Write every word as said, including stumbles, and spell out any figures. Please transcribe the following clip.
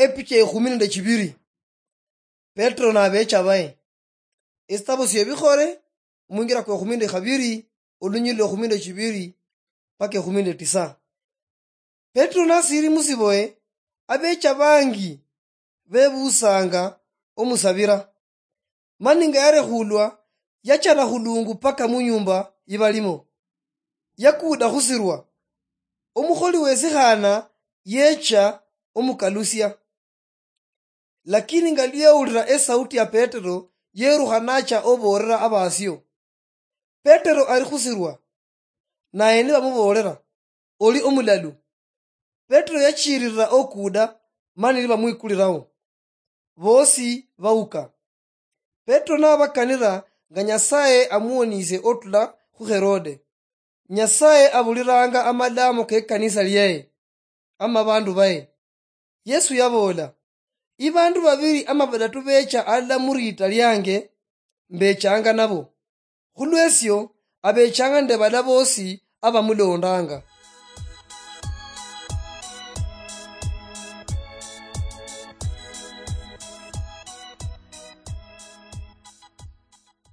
Epicha ekhumi nende chibiri. Petero nabecha baye. Esitabo siebikhole, omungira kwa ekhumi nende khabiri, olunyililo ekhumi nende chibiri paka ekhumi nende tisa. Petero nasiri musiboye, abecha bangi bebusanga omusabira. Mani nga yarekhulwa, yachana khulungu paka munyumba yibalimo. Yakuda khusirwa. Omukholi wesikhana yecha omukalusia. Lakini nga liyawulira esauti ya Petero, yerukha nacha oboolera abasio. Petero ali khusirwa, naye nibamuboolera, oli omulalu. Petero yachirira okuda, mani nibamwikuliraho. Bosi bauka. Petero nabakanira nga Nyasaye amuwonisie otula khu Herode. Nyasaye abuliranga amalamo kekanisa liaye, ama bandu baye. Yesu yaboola, ibandu babiri ama badatu becha alala muriita liange, mbechanga nabo. Khulwesio, abechanga nende bala bosi abamulondanga.